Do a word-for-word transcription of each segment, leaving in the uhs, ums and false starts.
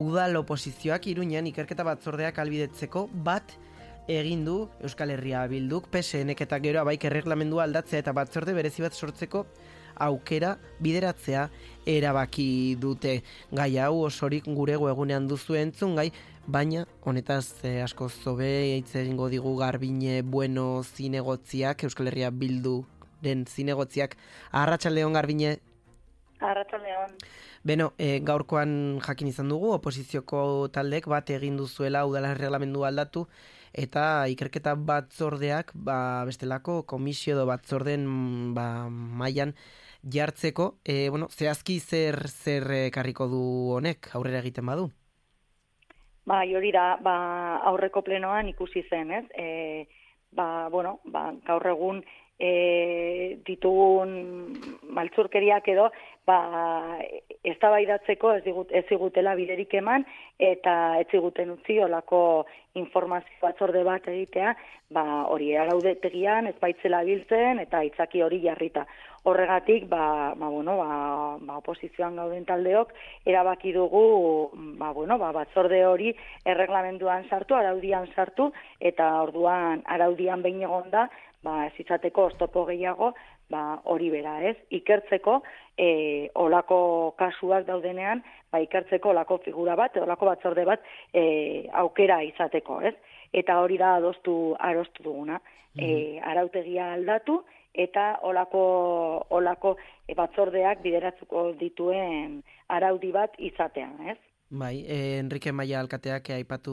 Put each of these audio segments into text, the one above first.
Udal oposizioak Iruñan ikerketa batzordeak albidetzeko bat egin du Euskal Herria Bilduk, P S N-ek eta gero abaik erreglamendua aldatzea eta batzorde berezi bat sortzeko aukera bideratzea erabaki dute. Gai hau osorik gure webgunean duzu entzun gai, baina honetaz eh, asko zobe hitz egingo digu Garbine Bueno zinegotziak, Euskal Herria Bilduren zinegotziak. Arratsaldeon Garbine. Arratsaldeon. Beno, e, gaurkoan jakin izan dugu, oposizioko taldek bat egin duzuela udala erreglamendu aldatu, eta ikerketa batzordeak, ba, bestelako komisio edo batzorden ba, mailan jartzeko, e, bueno, zehazki zer zer ekarriko du honek, aurrera egiten badu? Ba, hori da, ba, aurreko plenoan ikusi zen, ez? E, ba, bueno, ba, gaur egun e, ditugun maltzurkeriak edo, ba, eztabaidatzeko ez digut, ez zigutela biderik eman eta ez ziguten utzi olako informazio batzorde bat egitea, ba, hori arautegian ez baitzela biltzen eta itzaki hori jarrita. Horregatik, ba, ba, bueno, ba, ba, oposizioan gauden taldeok erabaki dugu ba, bueno, ba, batzorde hori erreglamenduan sartu, araudian sartu, eta orduan araudian behin egonda, ba, ez izateko oztopo gehiago, ba, hori bera, ez? Ikertzeko, e, olako kasuak daudenean, ba, ikertzeko olako figura bat, olako batzorde bat e, aukera izateko, ez? Eta hori da adostu arostu duguna. Mm-hmm. E, arautegia aldatu, eta olako, olako e, batzordeak bideratzuko dituen araudi bat izatean, ez? Bai, eh, Enrique Maia alkateak aipatu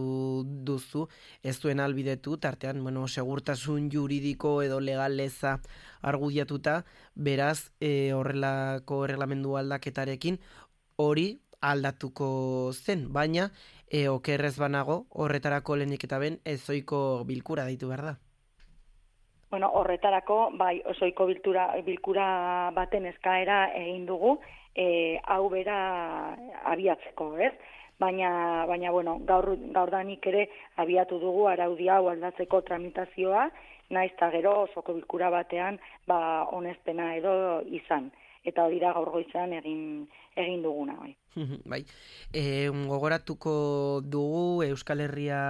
duzu, ez duen albidetu, tartean, bueno, segurtasun juridiko edo legaleza argudiatuta, beraz, eh, horrelako erreglamendu aldaketarekin hori aldatuko zen, baina eh, okerrez banago horretarako lehenik eta ben ezoiko bilkura deitu behar da. Bueno, horretarako, bai, osoiko biltura, bilkura baten eskaera egin dugu, E, hau bera abiatzeko, ez? Baina, baina bueno, gaur, gaurdanik ere abiatu dugu araudi hau aldatzeko tramitazioa, naiz eta gero osoko bilkura batean ba, onespena edo izan. Eta hori da gaur goizean egin, egin duguna. Bai, bai. E, gogoratuko dugu Euskal Herria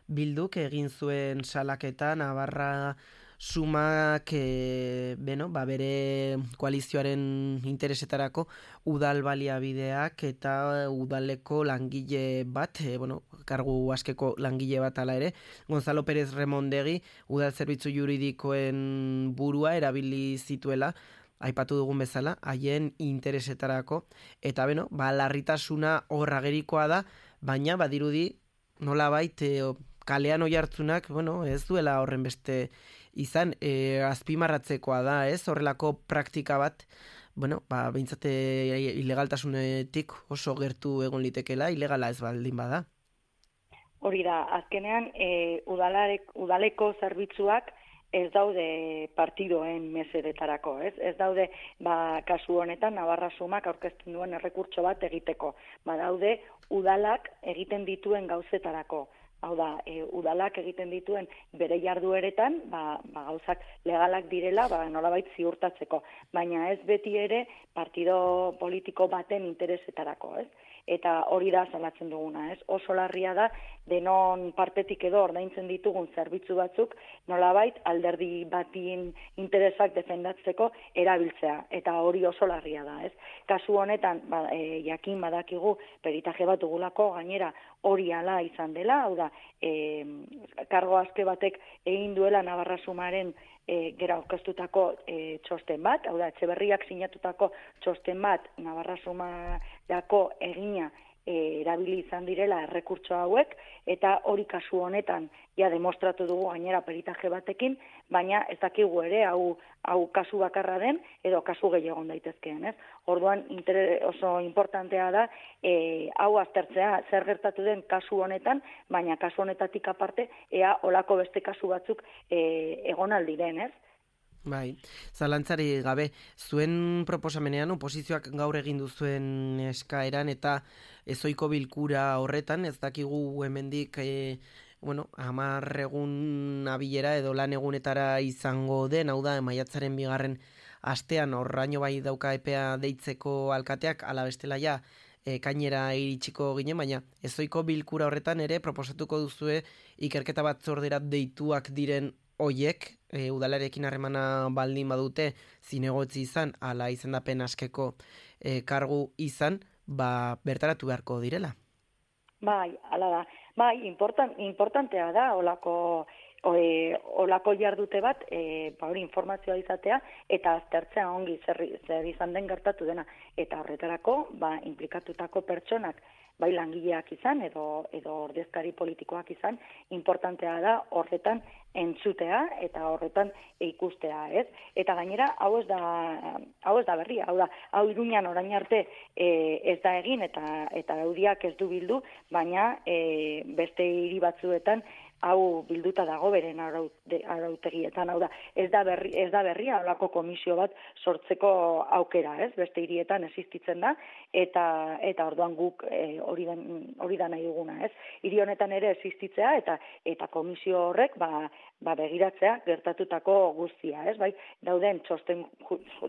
Bilduk egin zuen salaketa Navarra Sumak e, beno, ba, bere koalizioaren interesetarako udal baliabideak eta udaleko langile bat, e, bueno, kargu askeko langile bat ala ere, Gonzalo Pérez Remondegi udal zerbitzu juridikoen burua erabili zituela, aipatu dugun bezala, haien interesetarako, eta beno, ba, larritasuna hor agerikoa da, baina badirudi nolabait e, kalean oihartzunak, bueno, ez duela horren beste izan, e, azpimarratzekoa da, ez? Horrelako praktika bat, bueno, ba, behintzate ilegaltasunetik oso gertu egon litekela, ilegala ez baldin bada. Hori da, azkenean, e, udalarek, udaleko zerbitzuak ez daude partidoen mesedetarako, ez? Ez daude, ba, kasu honetan, Navarra Sumak aurkezten duen errekurtso bat egiteko. Ba, daude, udalak egiten dituen gauzetarako. Hau da, e, udalak egiten dituen bere jardueretan, ba, ba, gauzak legalak direla, ba, nolabait ziurtatzeko. Baina ez beti ere partido politiko baten interesetarako, ez? Eta hori da salatzen duguna, ez? Oso larria da, denon partetik edo ordaintzen ditugun zerbitzu batzuk, nolabait alderdi batin interesak defendatzeko erabiltzea. Eta hori oso larria da, ez? Kasu honetan, ba, e, jakin badakigu peritaje bat dugulako, gainera hori ala izan dela, hau da, e, kargo aske batek egin duela Navarra Sumaren e, gera aurkeztutako e, txosten bat, hau da, Etxeberriak sinatutako txosten bat Navarra Sumarako egina e, erabili izan direla errekurtso hauek, eta hori kasu honetan ja demostratu dugu gainera peritaje batekin, baina ez dakigu ere hau, hau kasu bakarra den edo kasu gehiago daitezkeen, ez? Orduan inter, oso importantea da e, hau aztertzea zer gertatu den kasu honetan, baina kasu honetatik aparte ea olako beste kasu batzuk e, egon aldiren, ez? Bai, zalantzari gabe, zuen proposamenean oposizioak gaur egin duzuen eskaeran eta ezoiko bilkura horretan, ez dakigu hemendik e, bueno, hamar egun abilera edo lan egunetara izango den, hau da, maiatzaren bigarren astean horraino bai dauka epea deitzeko alkateak, ala bestela ja, ekainera iritsiko ginen, baina ezoiko bilkura horretan ere proposatuko duzue ikerketa batzordera deituak diren hoiek, e, udalarekin harremana baldin badute zinegotzi izan, ala izendapen askeko e, kargu izan, ba, bertaratu beharko direla. Bai, ala da. Bai, important, importantea da olako e, olako jardute bat, e, ba hori informazioa izatea eta aztertzea ongi zer, zer izan den gertatu dena, eta horretarako ba inplikatutako pertsonak bai langileak izan edo edo ordezkari politikoak izan, importantea da horretan entzutea eta horretan ikustea, ez? Eta gainera hau ez da hau ez da berria, hau da, hau Iruñan orain arte e, ez da egin eta eta Audiak ez du bildu, baina e, beste hiri batzuetan hau bilduta dago beren arautegietan, hau da, ez da berri, ez da berria holako komisio bat sortzeko aukera, ez? Beste hirietan existitzen da eta eta orduan guk e, hori da hori da nahi duguna, ez? Hiri honetan ere existitzea eta eta komisio horrek ba ba begiratzea gertatutako guztia, ez? Bai, dauden txosten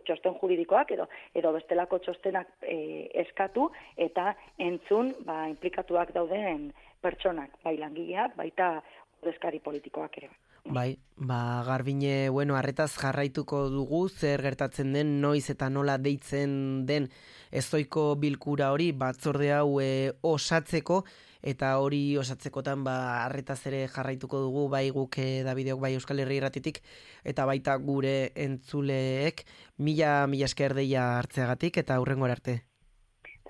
txosten juridikoak edo edo bestelako txostenak e, eskatu eta entzun ba inplikatuak dauden pertsonak, bai langileak, baita ordezkari politikoak ere. Bai, ba Garbine, bueno, arretaz jarraituko dugu zer gertatzen den, noiz eta nola deitzen den ezoiko bilkura hori batzorde hau e, osatzeko, eta hori osatzekotan ba arretaz ere jarraituko dugu, bai guk e, Davideok, bai Euskal Herri Irratitik, eta baita gure entzuleek, mila mila esker deia hartzeagatik eta hurrengora arte.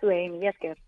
Zuei, mila esker.